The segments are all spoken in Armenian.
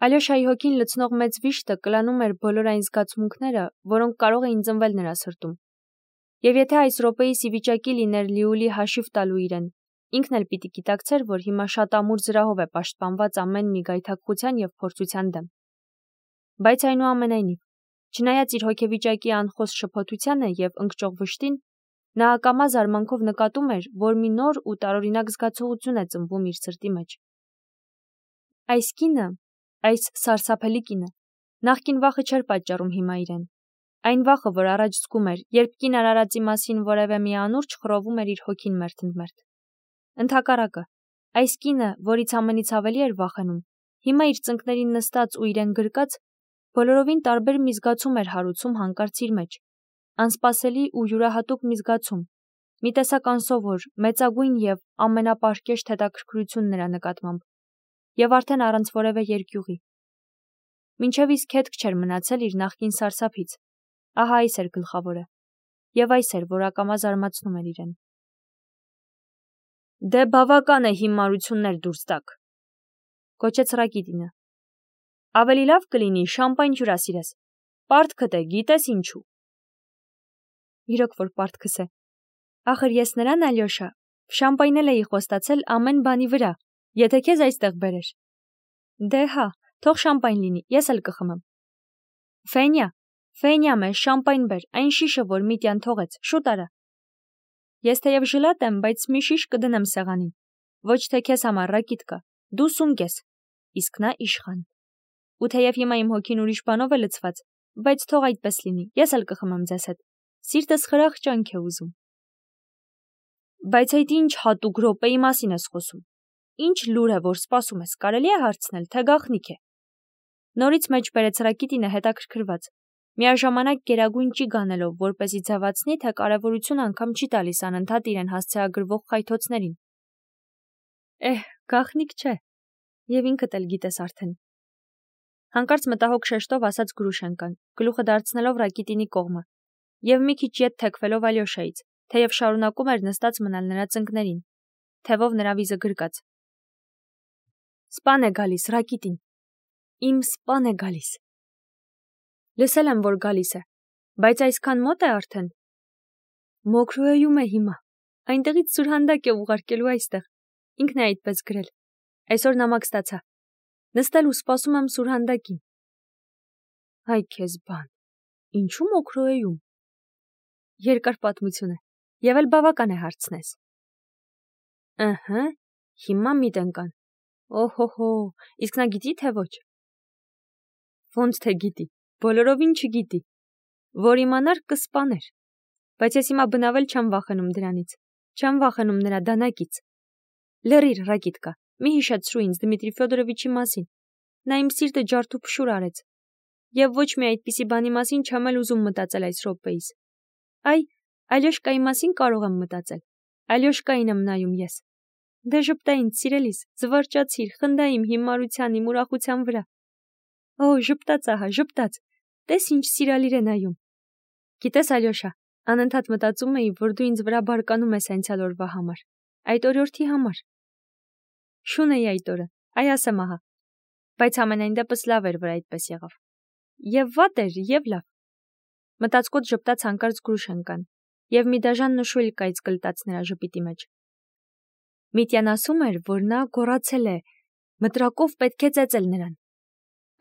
Ալյոշայի հոգին լցնող մեծ վիշտը կլանում էր բոլոր այն զգացմունքները, որոնք կարող էին ծնվել նրա սրտում։ Եվ եթե այս րոպեիս ի վիճակի լիներ Լիուլի հաշիվ տալու իրեն, ինքն էլ պիտի գիտակցեր, որ հիմա շատ ամուր զրահով է պաշտպանված ամեն մի գայթակղության և փորձության դեմ։ Բայց այնուամենայնիվ, չնայած իր հոգեվիճակի անխոս շփոթությանը և ընկճող վշտին, նա ակամա զարմանքով նկատում էր, որ մի նոր ու տարօրինակ զգացողություն է ծնվում իր սրտի մեջ։ Այս կինը, այս սարսափելի կինը, նախկին վախը չէր պատճառում հիմա իրեն։ Այն վախը, որ առաջ զգում էր, երբ կին արարածի մասին որևէ մի անուրջը խռովում էր իր հոգին մերթ-մերթ։ Ընդհակառակը, այս կինը, որից ամենից ավելի էր վախենում, հիմա իր ծնկներին նստած ու իրեն գրկած, բոլորովին տարբեր մի զգացում էր հարուցում հանկարծ իր մեջ, անսպասելի ու յուրահատուկ մի զգացում, մի տեսակ անսովոր, մեծագույն և ամենապարկեշտ հետաքրքրություն նրա նկատմամբ, և արդեն առանց որևէ երկյուղի։ Մինչև իսկ հետք չէր մնացել իր նախկին սարսափից, ահա այս էր գլխավորը, և այս էր, որ ակամա զարմացնում էր իրեն։ Դե բավական է հիմարություններ դուրս տաք, գոչեց Ռակիտինը։ Ավելի լավ կլինի շամպայն հյուրասիրես, պարտքդ է, գիտես ինչու։ Իրոք որ պարտքս է, ախր ես նրան, Ալյոշա, շամպայնել էի խոստացել ամեն բանի վրա, եթե քեզ այստեղ բերեր։ Դե հա, թող շամպայն լինի, ես էլ կխմեմ։ Ֆենյա մեզ շամպայն բեր, այն շիշը, որ Միտյան թողեց, շուտ արա։ Ես թեև ժլատ եմ, բայց մի շիշ կդնեմ սեղանին, ոչ թե քեզ համար, Ռակիտկա, դու սունկ ես, իսկ նա իշխան։ Ու թեև հիմա իմ հոգին ուրիշ բանով է լցված, բայց թող այդպես լինի, ես էլ կխմեմ ձեզ հետ, սիրտս խրախճանք է ուզում։ Բայց այդ ինչ հատուկ րոպեի մասին ես խոսում, ինչ լուր է, որ սպասում ես, կարելի է հարցնել, թե գաղտնիք է։ Նորից մեջ բերեց Ռակիտինը հետաքրքրված, միաժամանակ գերագույն ճիգ անելով, որպեսզի ձևացնի, թե կարևորություն անգամ չի տալիս անընդհատ իրեն հասցեագրվող խայթոցներին։ Գաղտնիք չէ, և ինքդ էլ գիտես արդեն։ Հանկարծ մտահոգ շեշտով ասաց Գրուշենկան, գլուխը դարձնելով Ռակիտինի կողմը, և մի քիչ ետ թեքվելով Ալյոշայից, թեև շարունակում էր նստած մնալ նրա ծնկներին, թևով նրա վիզը գրկած։ Սպան է գալիս, Ռակիտին, իմ սպան է գալիս։ Լսել եմ, որ գալիս է, բայց այսքան մոտ է արդեն։ Մոքրոյում է հիմա, այնտեղից սուրհանդակ է ուղարկելու այստեղ, ինքն է այդպես գրել, այսօր նամակ ստացա, նստել ու սպասում եմ սուրհանդակին։ Հայ քեզ բան, ինչու Մոքրոյում։ Երկար պատմություն է, և էլ բավական է հարցնես։ Հիմա մի տնկան։ Օհոհո, իսկ նա գիտի, թե ոչ։ Ոնց թե գիտի, բոլորովին չգիտի, որ իմանար կսպաներ, բայց ես հիմա բնավել չեմ վախենում դրանից, չեմ վախենում նրա դանակից։ Լռիր, Ռակիտկա, մի հիշեցրու ինձ Դմիտրի Ֆյոդորովիչի մասին, նա իմ սիրտը ջարդ ու փշուր արեց, և ոչ մի այդպիսի բանի մասին չեմ էլ ուզում մտածել այս րոպեիս։ Ալյոշկայի մասին կարող եմ մտածել, Ալյոշկային եմ նայում ես։ Դե ժպտա ինձ, սիրելիս, զվարճացիր, խնդա իմ հիմարության, իմ ուրախության վրա։ Ժպտաց ահա, ժպտաց, տես ինչ սիրալիր է նայում։ Գիտես, Ալյոշա, անընդհատ մտածում էի, որ դու ինձ վրա բարկանում ես անցյալ օրվա համար, այդ օրիորդի համար։ Շուն էի այդ օրը, ասեմ ահա, բայց ամենայն դեպս լավ էր, որ այդպես եղավ։ Եվ վատ էր, և լավ։ Մտածկոտ ժպտաց հանկարծ Գրուշենկան, և մի դաժան նշույլ կայծ կլտաց նրա ժպիտի մեջ։ Միտյան ասում էր, որ նա գոռացել է, մտրակով պետք է ծեծել նրան։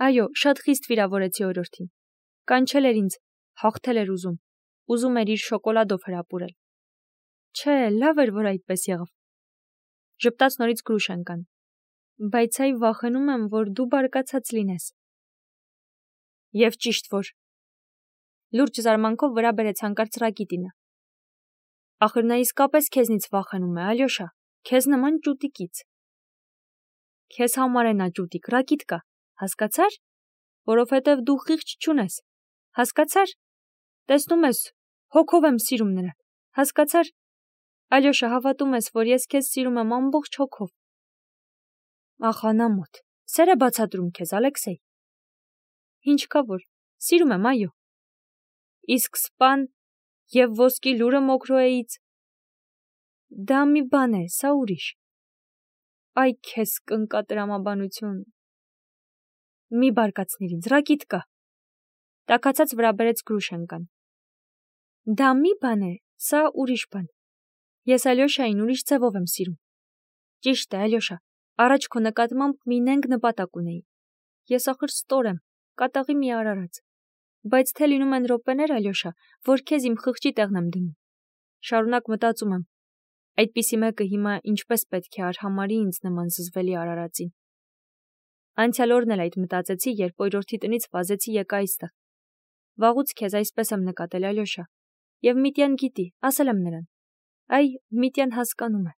Այո, շատ խիստ վիրավորեցի օրիորդին։ Կանչել էր ինձ, հաղթել էր ուզում էր իր շոկոլադով հրապուրել։ Չէ, լավ էր, որ այդպես եղավ։ Ժպտաց նորից Գրուշենկան։ Բայց վախենում եմ, որ դու բարկացած լինես։ Եվ ճիշտ որ։ Լուրջ զարմանքով վրա բերեց հանկարծ Ռակիտինը։ Ախր նա իսկապես քեզնից վախենում է, Ալյոշա, քեզ նման ճուտիկից։ Քեզ համար է նա ճուտիկ, Ռակիտկա, հասկացար, որովհետև դու խիղճ չունես, հասկացար, տեսնում ես, հոգով եմ սիրում նրան, հասկացար, Ալյոշա, հավատում ես, որ ես քեզ սիրում եմ ամբողջ հոգով։ Ախ, անամոթ, սեր է բացատրում քեզ, Ալեքսեյ։ Ինչ կա որ, սիրում եմ, այո։ Իսկ սպան և ոսկի լուրը Մոքրոեից։ Դա մի բան է, սա ուրիշ։ Այ քեզ կնկա տրամաբանություն։ Մի բարկացնիր ինձ, Ռակիտկա։ Տաքացած վրա բերեց Գրուշենկան։ Դա մի բան է, սա ուրիշ բան։ Ես Ալյոշային ուրիշ ձևով եմ սիրում։ Ճիշտ է, Ալյոշա, առաջ քո նկատմամբ մի նենգ նպատակ ունեի։ Ես ախր ստոր եմ, կատաղի մի արարած։ Բայց թե լինում են րոպեներ, Ալյոշա, որ քեզ իմ խղճի տեղն եմ դնում։ Շարունակ մտածում եմ։ Այդպիսի մեկը հիմա ինչպես պետք է արհամարի ինձ նման զզվելի արարածին։ Անցյալ օրն էլ այդ մտածեցի, երբ օրորթի տնից վազեցի եկա այստեղ։ Վաղուց քեզ այսպես եմ նկատել, Ալյոշա։ Եվ Միտյան գիտի, ասել եմ նրան։ Այ, Միտյան հասկանում է։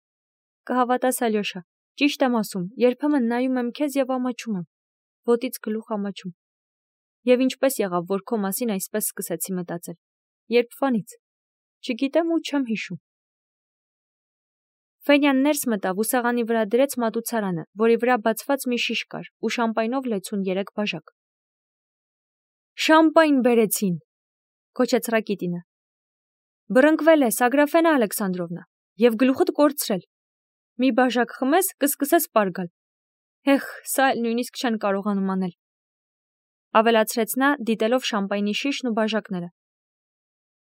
Կհավատաս, Ալյոշա, ճիշտ եմ ասում, երբեմն նայում եմ քեզ եւ ամաչում եմ։ Ոտից գլուխ ամաչում։ Եվ ինչպես եղավ, որ քո մասին այսպես սկսեցի մտածել։ Երբվանից։ Չգիտեմ ու չեմ հիշում։ Ֆենյան ներս մտավ ու սեղանի վրա դրեց մատուցարանը, որի վրա բացված մի շիշ կար ու շամպայնով 63 բաժակ։ Շամպայն բերեցին, քոչեց Ռակիտինը։ Բռնկվել ես, Ագրաֆենա Ալեքսանդրովնա, եւ գլուխդ կորցրել։ Մի բաժակ խմես, կսկսես պարգալ։ Հեխ, սա նույնիսկ չեն կարողանում անել։ Ավելացրեց նա, դիտելով շամպայնի շիշն ու բաժակները։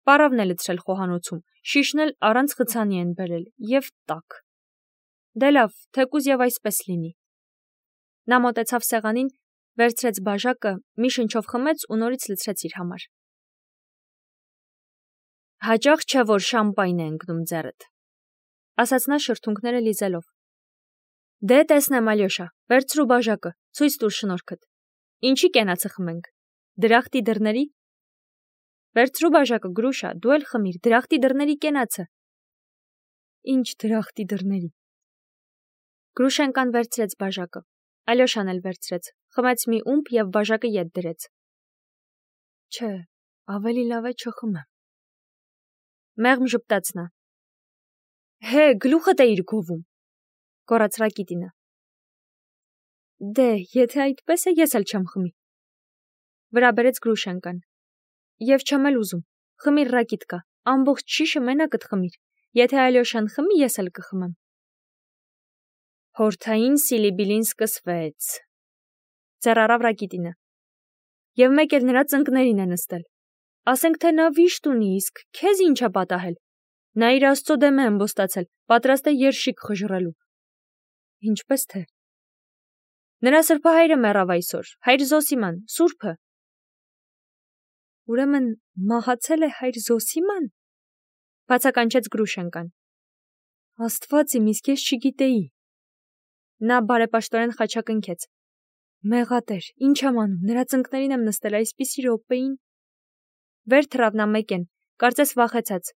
Պարավն է լցրել խոհանոցում, շիշն էլ առանց խցանի են բերել, եւ տաք։ Դե լավ, թեկուզ եւ այսպես լինի։ Նա մոտեցավ սեղանին, վերցրեց բաժակը, մի շնչով խմեց ու նորից լցրեց իր համար։ Հաճախ չէ, որ շամպայն է ընկնում ձեռդ, ասաց նա շրթունքները լիզելով։ Դե տեսնեմ, Ալյոշա, վերցրու բաժակը, ցույց տուր շնորհքդ։ Ինչի կենացը խմենք։ Դրախտի դռների։ Վերցրու բաժակը, Գրուշա, դու էլ խմիր, դրախտի դռների կենացը։ Ինչ դրախտի դռների։ Գրուշենկան վերցրեց բաժակը, Ալյոշան էլ վերցրեց, խմեց մի ումպ եւ բաժակը ետ դրեց։ Չէ, ավելի լավ է չխմեմ։ Մեղմ ժպտաց նա։ Հե, գլուխդ էիր գովում, գոռաց Ռակիտինը։ Դե, եթե այդպես է, ես էլ չեմ խմի։ Վրա բերեց Գրուշենկան։ Եվ չեմ էլ ուզում, խմիր Ռակիտկա, ամբողջ շիշը մենակդ խմիր, եթե Ալյոշան խմի, ես էլ կխմեմ։ Հորթային սիլիբիլին սկսվեց, ձեռարավ Ռակիտինը։ Եվ մեկ էլ նրա ծնկներին է նստել։ Ասենք թե նա վիշտ ունի, իսկ քեզ ինչ է պատահել։ Նա իր Աստծո դեմ է ըմբոստացել, պատրաստ է երշիկ խժռելու։ Ինչպես թե։ Նրա սրբահայրը մեռավ այսօր, հայր Զոսիման, սուրբը։ Ուրեմն մահացել է հայր Զոսիման, բացականչեց Գրուշենկան։ Աստված իմ, իսկ ես չգիտեի։ Նա բարեպաշտորեն խաչակնքեց։ Մեղատեր, ինչ եմ անում, նրա ծնկներին եմ նստել այսպիսի րոպեին։ Վեր թռավ նա մեկեն, կարծես վախեցած։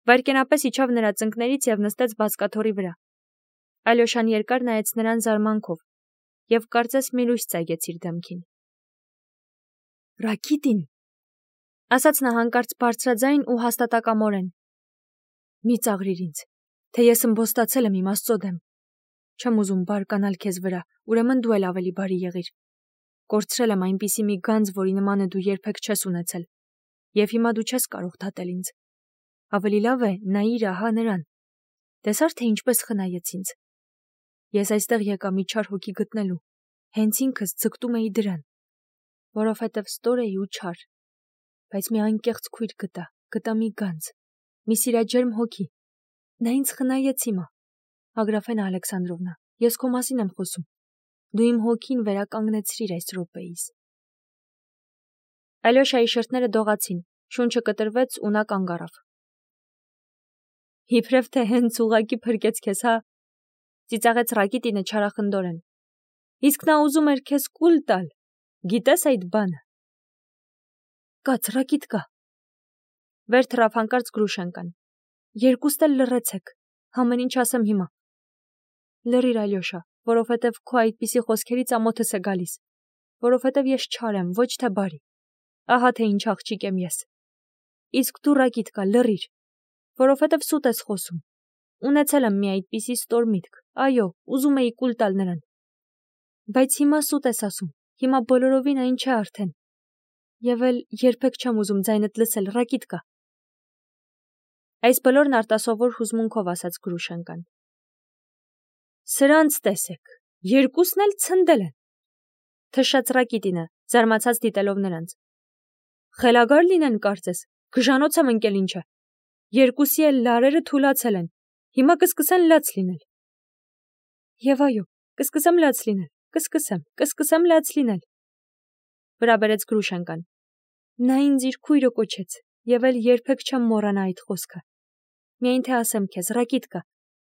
Վայրկենապես իջավ նրա ծնկներից եւ նստեց բազկաթոռի վրա։ Ալյոշան երկար նայեց նրան զարմանքով եւ կարծես մի լույս ծայգեց իր դեմքին։ Ռակիտին, ասաց նա հանկարծ բարձրաձայն ու հաստատակամորեն։ Մի ծաղրիր ինձ, թե ես ըմբոստացել եմ իմ Աստծո դեմ։ Չեմ ուզում բարկանալ քեզ վրա, ուրեմն դու էլ ավելի բարի եղիր։ Կորցրել եմ այնպիսի մի գանձ, որի նմանը դու երբեք չես ունեցել, եւ հիմա դու չես կարող դատել ինձ։ Ավելի լավ է նայիր ահա նրան։ Տեսար թե ինչպես խնայեց ինձ։ Ես այստեղ եկա մի չար հոգի գտնելու, հենց ինքս ձգտում էի դրան, որովհետև ստոր էի ու չար, բայց մի անկեղծ քույր գտա մի գանձ, մի սիրաջերմ հոգի։ Նա ինձ խնայեց հիմա։ Ագրաֆենա Ալեքսանդրովնա, ես քո մասին եմ խոսում։ Դու իմ հոգին վերականգնեցրիր այս րոպեից։ Ալյոշայի շրթները դողացին, շունչը կտրվեց ու նա կանգ առավ։ Իբրև թե հենց ուղակի փրկեց քեզ, հա, ծիծաղեց Ռակիտինը չարախնդորեն։ Իսկ նա ուզում էր քեզ կուլ տալ, գիտես այդ բանը։ Կաց, Ռակիտկա։ Վեր թռավ հանկարծ Գրուշենկան։ Երկուստ էլ լռեցեք, ամեն ինչ ասեմ հիմա։ Լռիր, Ալյոշա, որովհետև քո այդպիսի խոսքերից ամոթս է գալիս, որովհետև ես չար եմ, ոչ թե բարի։ Ահա թե ինչ աղջիկ եմ ես։ Իսկ դու, Ռակիտկա, լռիր, որովհետև սուտ ես խոսում։ Ունեցել եմ մի այդպիսի ստոր միտք, այո, ուզում էի կուլ տալ նրան։ Բայց հիմա սուտ ես ասում, հիմա բոլորովին այն չէ արդեն։ Եվ էլ երբեք չեմ ուզում ձայնդ լսել, Ռակիտկա։ Այս բոլորն արտասովոր հուզմունքով ասաց Գրուշենկան։ Սրանց տեսեք, երկուսն էլ ցնդել են։ Թշաց Ռակիտինը, զարմացած դիտելով նրանց։ Խելագար լինեն կարծես, գժանոց եմ ընկել ինչը։ Երկուսի էլ լարերը թուլացել են, հիմա կսկսեն լաց լինել։ Եվ այո, կսկսեմ լաց լինել, կսկսեմ լաց լինել։ Վրա բերեց Գրուշենկան։ Նա ինձ իր քույրը կոչեց, եւ էլ երբեք չեմ մոռանա այդ խոսքը։ Միայն թե ասեմ քեզ, Ռակիտկա,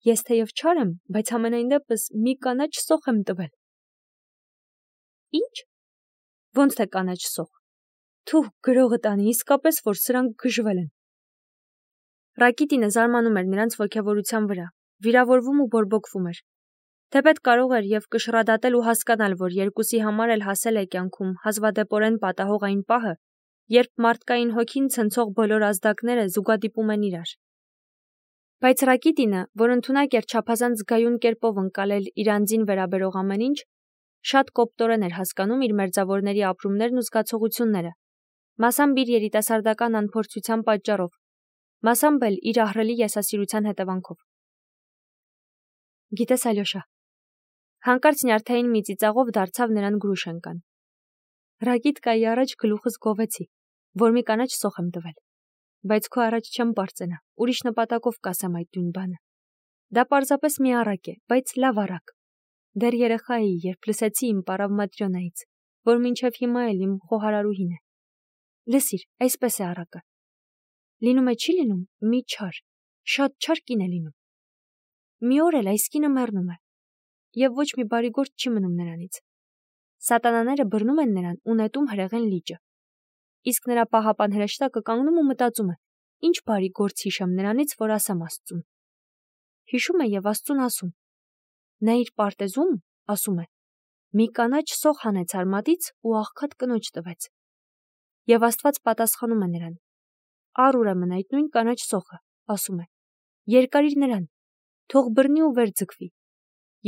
ես թեև չար եմ, բայց ամենայն դեպս մի կանաչ սոխ եմ տվել։ Ինչ։ Ոնց թե կանաչ սոխ։ Թուh գրողը տանի, իսկապես որ սրանք գժվել են։ Ռակիտինը զարմանում էր նրանց ոգևորության վրա, վիրավորվում ու բորբոքվում էր։ Թեպետ կարող էր եւ կշռադատել ու հասկանալ, որ երկուսի համար էլ հասել է կյանքում հազվադեպորեն պատահող այն պահը, երբ մարդկային հոգին ցնցող բոլոր ազդակները զուգադիպում են իրար։ Բայց Ռակիտինը, որ ընդունակ էր չափազանց զգայուն կերպով ընկալել իր անձին վերաբերող ամեն ինչ, շատ կոպտորեն էր հասկանում իր մերձավորների ապրումներն ու զգացողությունները, մասամբ իր երիտասարդական անփորձության պատճառով, մասամբ էլ իր ահռելի եսասիրության հետևանքով։ Գիտես, Ալյոշա, հանկարծ նյարդային մի ծիծաղով դարձավ նրան Գրուշենկան։ Ռակիտկայի առաջ գլուխս գովեցի, որ մի կանաչ սոխ եմ տվել, բայց քո առաջ չեմ պարծենա, ուրիշ նպատակով կասեմ այդ նույն բանը։ Դա պարզապես մի առակ է, բայց լավ առակ։ Դեռ երեխա էի, երբ լսեցի իմ պարավ Մատրյոնայից, որ մինչև հիմա էլ իմ խոհարարուհին է։ Լսիր, այսպես է առակը։ Լինում է չի լինում մի չար, շատ չար կին է լինում։ Մի օր էլ այս կինը մեռնում է, եւ ոչ մի բարի գործ չի մնում նրանից։ Սատանաները բռնում են նրան ու նետում հրեղեն լիճը։ Իսկ նրա պահապան հրեշտակը կանգնում ու մտածում է. ինչ բարի գործ հիշեմ նրանից, որ ասեմ Աստծուն։ Հիշում է եւ Աստծուն ասում։ Նա իր պարտեզում, ասում է, մի կանաչ սոխ հանեց արմատից ու աղքատ կնոջ տվեց։ Եվ Աստված պատասխանում է նրան. առ ուրեմն այդ նույն կանաչ սոխը, ասում է, երկարիր նրան, թող բռնի ու վեր ձգվի,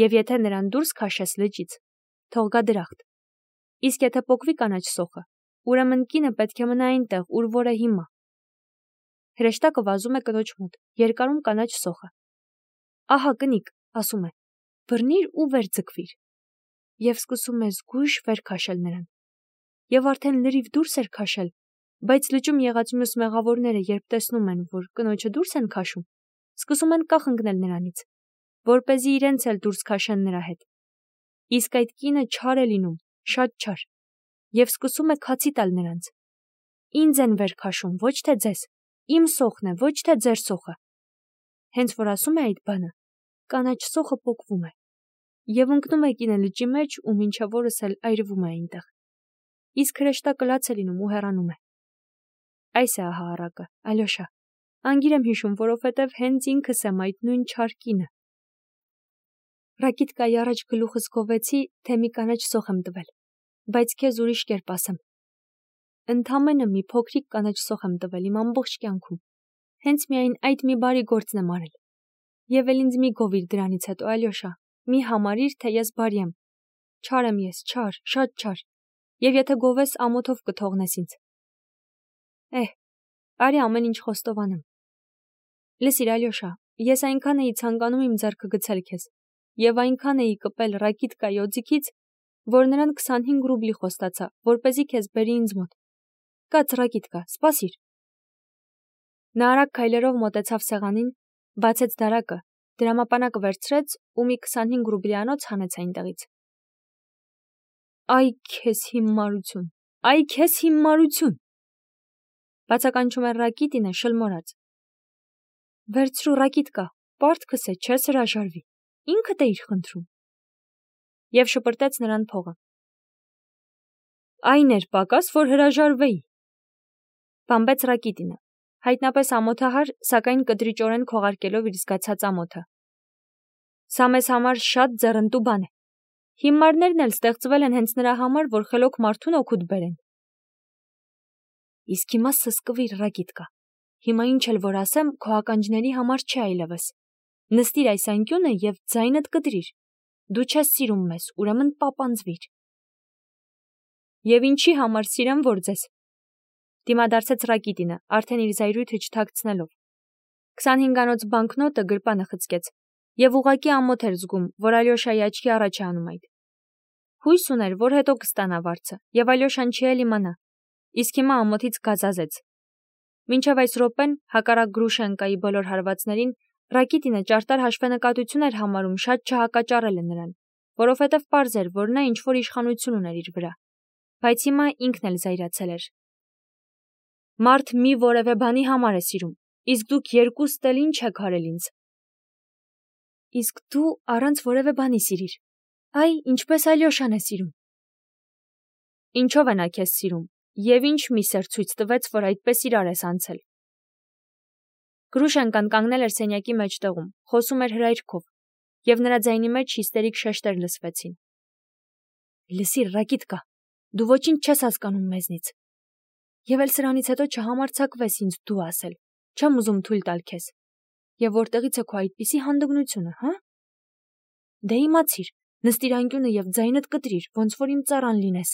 եւ եթե նրան դուրս քաշես լճից, թող գա դրախտ։ Իսկ եթե պոկվի կանաչ սոխը, ուրեմն կինը պետք է մնա այնտեղ, ուր որ է հիմա։ Հրեշտակը վազում է կնոջ մոտ, երկարում կանաչ սոխը։ Ահա կնիկ, ասում է, բռնիր ու վեր ձգվիր։ Եվ սկսում է զգույշ վեր քաշել նրան։ Եվ արդեն լրիվ դուրս էր քաշել, բայց լճում եղած մյուս մեղավորները, երբ տեսնում են, որ կնոջը դուրս են քաշում, սկսում են կախ ընկնել նրանից, որպեսզի իրենց էլ դուրս քաշեն նրա հետ։ Իսկ այդ կինը չար է լինում, շատ չար, եւ սկսում է քացի տալ նրանց։ Ինձ են վեր քաշում, ոչ թե ձեզ, իմ սոխն է, ոչ թե ձեր սոխը։ Հենց որ ասում է այդ բանը, կանաչ սոխը պոկվում է, եւ ընկնում է կինը լճի մեջ ու մինչև օրս էլ այրվում է այնտեղ։ Իսկ հրեշտակը լաց է լինում ու հեռանում է։ Այս է ահա առակը, Ալյոշա, անգիր եմ հիշում, որովհետև հենց ինքս եմ այդ նույն չար կինը։ Ռակիտկայի առաջ գլուխս գովեցի, թե մի կանաչ սոխ եմ տվել, բայց քեզ ուրիշ կերպ ասեմ։ Ընդամենը մի փոքրիկ կանաչ սոխ եմ տվել իմ ամբողջ կյանքում։ Հենց միայն այդ մի բարի գործն եմ արել։ Եվ էլ ինձ մի գովիր դրանից հետո, Ալյոշա, մի համարիր, թե ես բարի եմ։ Չար եմ ես, չար, շատ չար։ Եվ եթե գովես, ամոթով կթողնես ինձ։ Արի ամեն ինչ խոստովանեմ։ Լսիր, Ալյոշա, ես այնքան էի ցանկանում իմ ձեռքը գցել քեզ, եւ այնքան էի կպել Ռակիտկայի օձիքից, որ նրան 25 ռուբլի խոստացա, որպեսզի քեզ բերի ինձ մոտ։ Կաց, Ռակիտկա, սպասիր։ Նա արագ քայլերով մոտեցավ սեղանին, բացեց դարակը, դրամապանակը վերցրեց ու մի 25 ռուբլիանոց հանեց այնտեղից։ Այ քեզ հիմարություն, այ քեզ հիմարություն։ Բացականչում էր Ռակիտինը շլմորած։ Վերցրու, Ռակիտկա, պարտքս է, չես հրաժարվի, ինքդ էիր խնդրում։ Եվ շպրտեց նրան փողը։ Այն էր պակաս, որ հրաժարվեի։ Բամբեց Ռակիտինը, հայտնապես ամոթահար, սակայն կտրիճորեն քողարկելով իր զգացած ամոթը։ Սա մեզ համար շատ ձեռնտու բան է։ Հիմարներն էլ ստեղծվել են հենց նրա համար, որ խելոք մարդուն օգուտ բերեն։ Իսկ հիմա սսկվիր, Ռակիտկա։ Հիմա ինչ էլ որ ասեմ, քո ականջների համար չի այլևս։ Նստիր այս անկյունը եւ ձայնդ կտրիր։ Դու չես սիրում մեզ, ուրեմն պապանձվիր։ Եվ ինչի համար սիրեմ, որ ձեզ։ Դիմադարձեց Ռակիտինը, արդեն իր զայրույթը չթաքցնելով։ 25-անոց բանկնոտը գրպանը խցկեց, եւ ուղղակի ամոթ էր զգում, որ Ալյոշայի աչքի առաջ է անում այդ։ Հույս ուներ, որ հետո կստանա վարձը, եւ Ալյոշան չի էլ իմանա։ Իսկ հիմա ամոթից գազազեց։ Մինչև այս րոպեն հակառակ Գրուշենկայի բոլոր հարվածներին Ռակիտինը ճարտար հաշվենկատություն էր համարում շատ չհակաճառելը նրան, որովհետև պարզ էր, որ նա ինչ-որ իշխանություն ուներ իր վրա, բայց հիմա ինքն էլ զայրացել էր։ Մարդ մի որևէ բանի համար է սիրում, իսկ դուք երկուստ էլ ինչ եք արել ինձ։ Իսկ դու առանց որևէ բանի սիրիր, այ ինչպես Ալյոշան է սիրում։ Ինչով է նա քեզ սիրում, եւ ինչ միսեր ցույց տվեց, որ այդպես իրար ես անցել։ Գրուշենկան կանգնել էր սենյակի մեջտեղում, խոսում էր հրայրքով, եւ նրա ձայնի մեջ հիստերիկ շեշտեր լսվեցին։ Լսիր, Ռակիտկա, դու ոչինչ չես հասկանում մեզնից։ Եվ էլ սրանից հետո չհամարձակվես ինձ դու ասել, չեմ ուզում թույլ տալ քեզ։ Եվ որտեղից է քո այդպիսի հանդգնությունը, հա։ Դե իմացիր, նստիր անկյունը եւ ձայնդ կտրիր, ոնց որ իմ ծառան լինես։